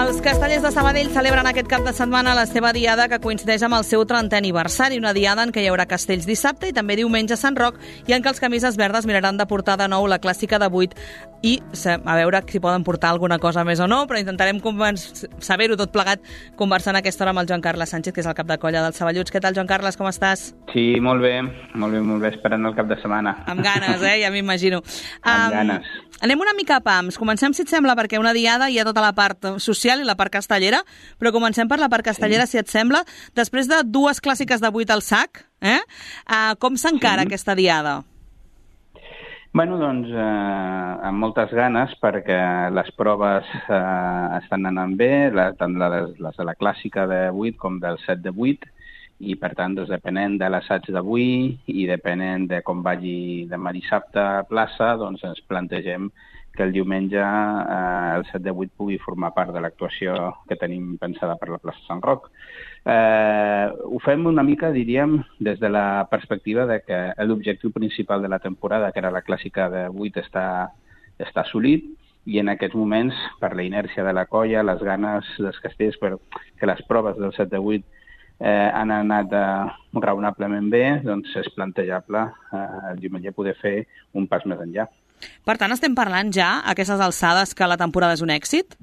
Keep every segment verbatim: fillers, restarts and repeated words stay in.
Els Castellers de Sabadell celebren aquest cap de setmana la seva diada, que coincideix amb el seu trentè aniversari, una diada en què hi haurà castells dissabte i també diumenge a Sant Roc, i en què els camises verdes miraran de portar de nou la clàssica de vuit i a veure si poden portar alguna cosa més o no, però intentarem saber-ho tot plegat conversant a aquesta hora amb el Joan Carles Sánchez, que és el cap de colla dels Saballuts. Què tal, Joan Carles, com estàs? Sí, molt bé, molt bé, molt bé, esperant el cap de setmana. Amb ganes, eh? Ja m'imagino. Amb um, ganes. Anem una mica a pams. Comencem, si et sembla, perquè una diada hi ha tota la part social i la part castellera, però comencem per la part castellera, sí. Si et sembla. Després de dues clàssiques de vuit al sac, eh? Uh, com s'encara sí. aquesta diada? Bueno, doncs, eh, amb moltes ganes, perquè les proves eh, estan anant bé, la, tant les, les de la clàssica de vuit com del set de vuit, i per tant, doncs, depenent de l'assaig d'avui i depenent de com vagi demà dissabte a plaça, doncs ens plantegem que el diumenge eh, el set de vuit pugui formar part de l'actuació que tenim pensada per la plaça Sant Roc. Eh, ho fem una mica, diríem, des de la perspectiva de que l'objectiu principal de la temporada, que era la clàssica de vuit, està, està assolit, i en aquests moments, per la inèrcia de la colla, les ganes dels castells, per que les proves del set de vuit eh, han anat eh, raonablement bé, doncs és plantejable eh, el diumenge poder fer un pas més enllà. Per tant, estem parlant ja, a aquestes alçades, que la temporada és un èxit?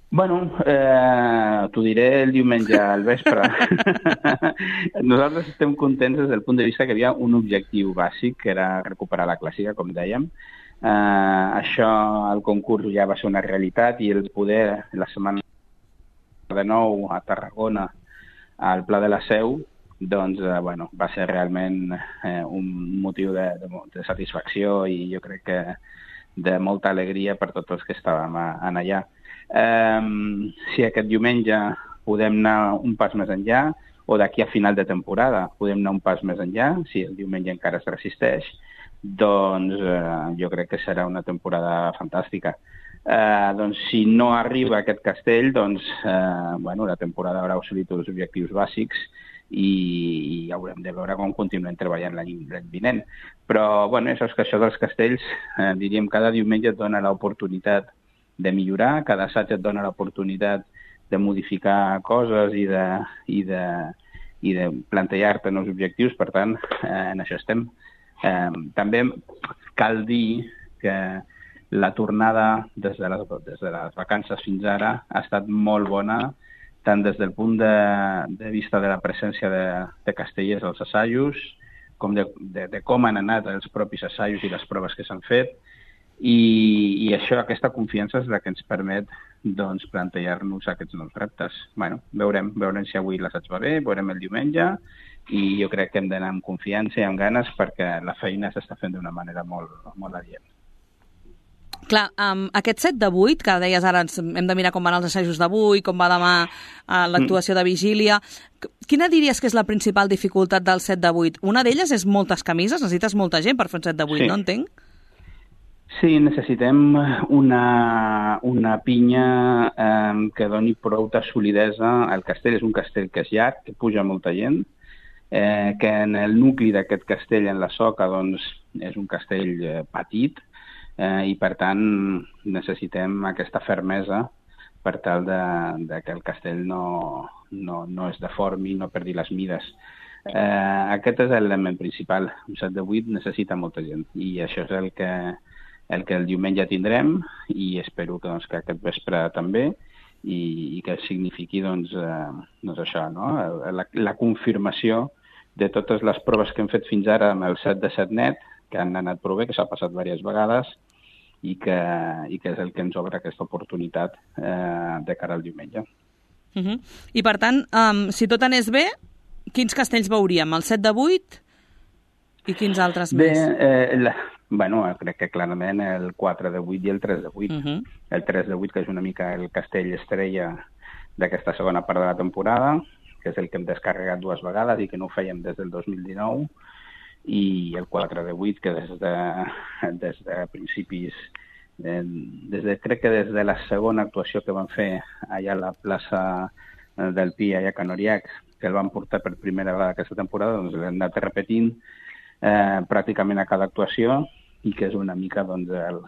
Bueno, eh, t'ho diré el diumenge al vespre. Nosaltres estem contents des del punt de vista que hi havia un objectiu bàsic, que era recuperar la clàssica, com dèiem. Eh, això, el concurs ja va ser una realitat, i el poder, la setmana de nou a Tarragona, al Pla de la Seu, doncs, eh, bueno, va ser realment eh, un motiu de, de, de satisfacció i jo crec que de molta alegria per tots els que estàvem a, a allà. Um, si aquest diumenge podem anar un pas més enllà, o d'aquí a final de temporada podem anar un pas més enllà, si el diumenge encara es resisteix, doncs uh, jo crec que serà una temporada fantàstica. Uh, doncs si no arriba aquest castell, doncs uh, bueno, la temporada haurà assolit els objectius bàsics i, i haurem de veure com continuem treballant l'any vinent. Però bueno, això és que això dels castells, uh, diríem, cada diumenge et dona l'oportunitat de millorar, cada assaig et dona l'oportunitat de modificar coses i de, i de, i de plantejar-te nous objectius, per tant, eh, en això estem. Eh, també cal dir que la tornada des de, les, des de les vacances fins ara ha estat molt bona, tant des del punt de, de vista de la presència de, de castellers als assajos, com de, de, de com han anat els propis assajos i les proves que s'han fet, I, i això, aquesta confiança és la que ens permet doncs, plantejar-nos aquests nous reptes. Bueno, veurem, veurem si avui l'assaig va bé, veurem el diumenge, i jo crec que hem d'anar amb confiança i amb ganes perquè la feina s'està fent d'una manera molt, molt adient. Clar, um, aquest set de vuit, que deies ara hem de mirar com van els assajos d'avui, com va demà uh, l'actuació de vigília, quina diries que és la principal dificultat del set de vuit? Una d'elles és moltes camises, necessites molta gent per fer un set de vuit, sí. No entenc? Sí, necessitem una, una pinya eh, que doni prou de solidesa. El castell és un castell que és llarg, que puja molta gent, eh, que en el nucli d'aquest castell, en la soca, doncs, és un castell eh, petit, eh, i per tant necessitem aquesta fermesa per tal de, de que el castell no, no, no es deformi, no perdi les mides. Eh, aquest és l'element principal. Un set de vuit necessita molta gent, i això és el que el que el diumenge tindrem, i espero que, doncs, que aquest vespre també, i, i que signifiqui doncs, eh, doncs això, no? la, la confirmació de totes les proves que hem fet fins ara amb el set de set net, que han anat prou bé, que s'ha passat diverses vegades, i que, i que és el que ens obre aquesta oportunitat eh, de cara al diumenge. Uh-huh. I per tant, um, si tot anés bé, quins castells veuríem? El set de vuit i quins altres bé, més? Eh, la... Bueno, crec que clarament el quatre de vuit i el tres de vuit. Uh-huh. El tres de vuit, que és una mica el castell estrella d'aquesta segona part de la temporada, que és el que hem descarregat dues vegades i que no ho fèiem des del dos mil dinou, i el quatre de vuit, que des de, des de principis, eh, des de, crec que des de la segona actuació que vam fer allà a la plaça del Pi, allà a Can Oriac, que el van portar per primera vegada aquesta temporada, doncs l'hem anat repetint eh, pràcticament a cada actuació, i que és una mica, doncs, el,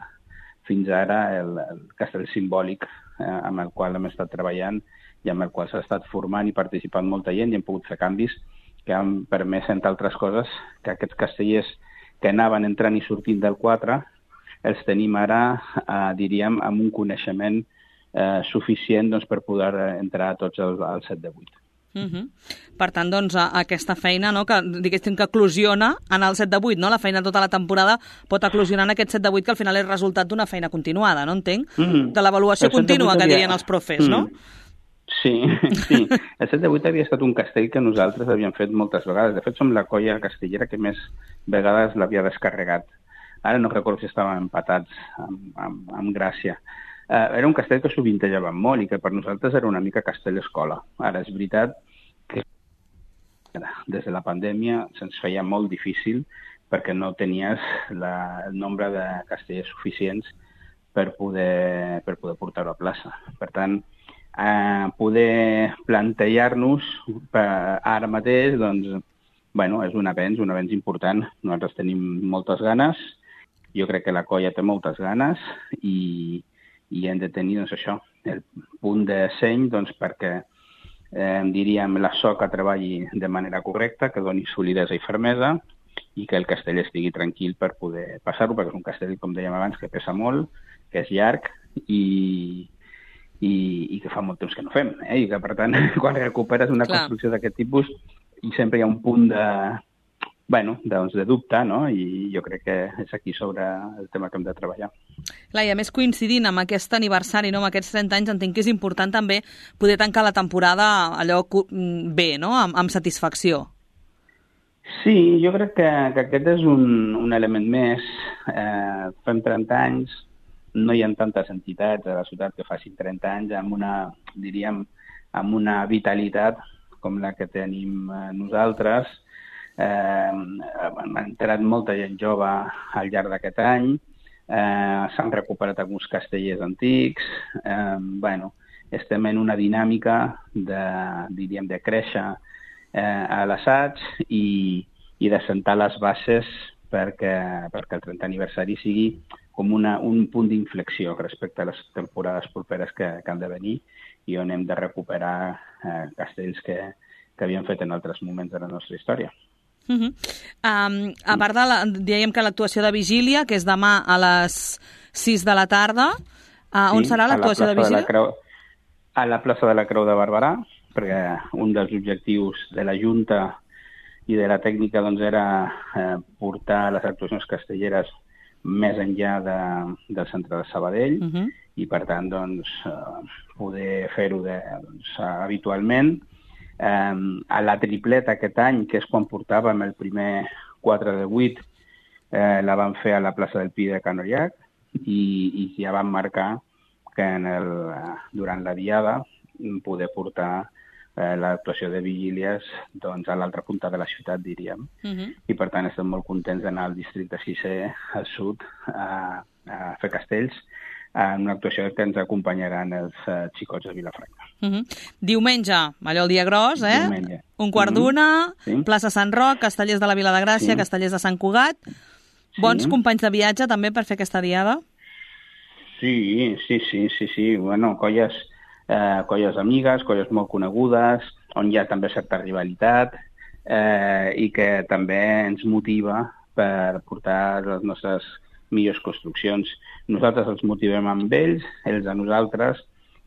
fins ara el, el castell simbòlic eh, amb el qual hem estat treballant i amb el qual s'ha estat formant i participant molta gent i hem pogut fer canvis que han permès, entre altres coses, que aquests castellers que anaven entrant i sortint del quatre els tenim ara, eh, diríem, amb un coneixement eh, suficient doncs, per poder entrar tots al, al set de vuit. Uh -huh. Per tant, doncs, aquesta feina, no, que diguéssim que eclosiona en el set de vuit, no? La feina tota la temporada pot eclosionar en aquest set de vuit, que al final és resultat d'una feina continuada, no entenc? Mm. De l'avaluació contínua que dirien els profes, mm. no? Sí, sí. El set de vuit havia estat un castell que nosaltres havíem fet moltes vegades. De fet, som la colla castellera que més vegades l'havia descarregat. Ara no recordo si estàvem empatats amb, amb, amb Gràcia. Uh, era un castell que sovintejàvem molt i que per nosaltres era una mica castell-escola. Ara, és veritat que des de la pandèmia se'ns feia molt difícil perquè no tenies la, el nombre de castellers suficients per poder, per poder portar-ho a plaça. Per tant, uh, poder plantejar-nos ara mateix, doncs, bueno, és un avenç, un avenç important. Nosaltres tenim moltes ganes, jo crec que la colla té moltes ganes i i hem de tenir, doncs, això, el punt de seny, doncs, perquè, eh, diríem, la soca treballi de manera correcta, que doni solidesa i fermesa i que el castell estigui tranquil per poder passar-ho, perquè és un castell, com dèiem abans, que pesa molt, que és llarg i, i, i que fa molt temps que no fem, eh? I que, per tant, quan recuperes una Clar. construcció d'aquest tipus, i sempre hi ha un punt de, bueno, doncs de dubte, no? I jo crec que és aquí sobre el tema que hem de treballar. Clar, i a més coincidint amb aquest aniversari, no, amb aquests trenta anys, entenc que és important també poder tancar la temporada allò bé, no?, amb, amb satisfacció. Sí, jo crec que, que aquest és un, un element més. Eh, fem trenta anys, no hi ha tantes entitats a la ciutat que facin trenta anys amb una, diríem, amb una vitalitat com la que tenim nosaltres. Eh, m'ha entrat molta gent jove al llarg d'aquest any, eh, s'han recuperat alguns castellers antics, eh, bueno, estem en una dinàmica de, diríem, de créixer eh, a l'assaig i, i de sentar les bases perquè, perquè el trentè aniversari sigui com una, un punt d'inflexió respecte a les temporades properes que, que han de venir i on hem de recuperar eh, castells que, que havíem fet en altres moments de la nostra història. Uh -huh. um, a part de la, dèiem que l'actuació de vigília, que és demà a les sis de la tarda, uh, on sí, serà l'actuació de vigília? De Creu, a la plaça de la Creu de Barberà, perquè un dels objectius de la Junta i de la tècnica doncs, era eh, portar les actuacions castelleres més enllà de, del centre de Sabadell uh -huh. i, per tant, doncs, eh, poder fer-ho doncs, habitualment. Um, a la tripleta aquest any, que és quan portàvem el primer quatre de vuit, eh, la vam fer a la plaça del Pi de Can Ollac i, i ja vam marcar que en el, durant la diada poder portar eh, l'actuació de vigílies doncs, a l'altra punta de la ciutat, diríem. Uh-huh. I, per tant, estem molt contents d'anar al districte sisè, al sud, a, a fer castells, en una actuació que ens acompanyaran els uh, xicots de Vilafranca. Uh-huh. Diumenge, allò el dia gros, eh? Diumenge. Un quart uh-huh. d'una, sí. plaça Sant Roc, Castellers de la Vila de Gràcia, sí. Castellers de Sant Cugat. Sí. Bons companys de viatge també per fer aquesta diada? Sí, sí, sí, sí, sí. Bueno, colles, eh, colles amigues, colles molt conegudes, on hi ha també certa rivalitat eh, i que també ens motiva per portar les nostres millors construccions. Nosaltres els motivem amb ells, ells a nosaltres,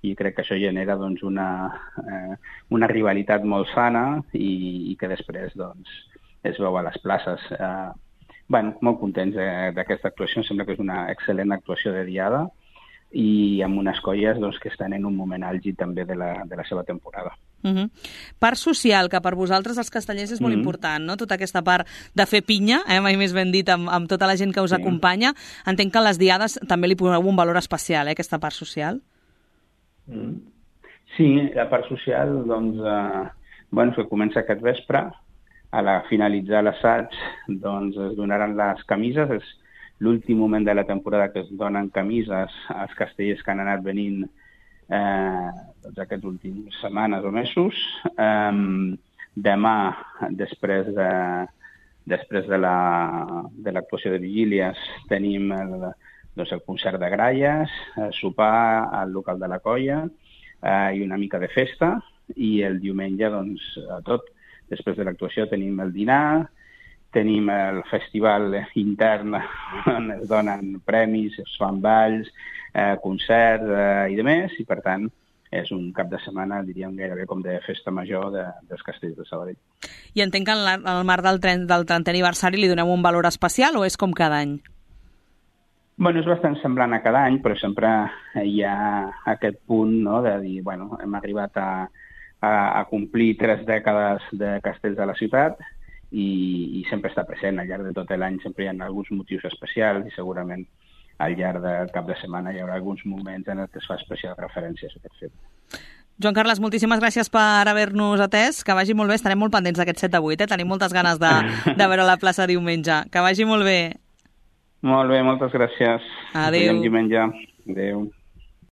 i crec que això genera doncs, una, eh, una rivalitat molt sana i, i que després doncs, es veu a les places. Eh, bueno, molt contents d'aquesta actuació, em sembla que és una excel·lent actuació de diada i amb unes colles doncs, que estan en un moment àlgid també de la, de la seva temporada. Uh-huh. Part social, que per vosaltres els castellers és molt uh-huh. important, no? Tota aquesta part de fer pinya, eh? Mai més ben dit, amb, amb tota la gent que us sí. acompanya. Entenc que a les diades també li poseu un valor especial, eh? Aquesta part social. Uh-huh. Sí, la part social, doncs, eh, bueno, que comença aquest vespre, a la finalitzar l'assaig, doncs es donaran les camises, és l'últim moment de la temporada que es donen camises als castellers que han anat venint eh, doncs aquests últims setmanes o mesos. Eh, demà, després de, després de la, de l'actuació de vigílies, tenim el, doncs, el concert de gralles, eh, sopar al local de la colla eh, i una mica de festa, i el diumenge, doncs, a tot. Després de l'actuació tenim el dinar, tenim el festival intern on es donen premis, es fan balls, eh, concerts eh, i demés, i per tant és un cap de setmana, diríem, gairebé com de festa major de, dels Castells de Sabadell. I entenc que en el marc del, del trentè aniversari li donem un valor especial o és com cada any? Bueno, és bastant semblant a cada any, però sempre hi ha aquest punt, no?, de dir, bueno, hem arribat a, a, a complir tres dècades de castells de la ciutat i, i sempre està present al llarg de tot l'any, sempre hi ha alguns motius especials i segurament al llarg del cap de setmana hi haurà alguns moments en què es fa especial referència a aquest fet. Joan Carles, moltíssimes gràcies per haver-nos atès. Que vagi molt bé, estarem molt pendents d'aquest set de vuit, eh? Tenim moltes ganes de, de veure la plaça diumenge. Que vagi molt bé. Molt bé, moltes gràcies. Adéu. Ens veiem diumenge. Adéu.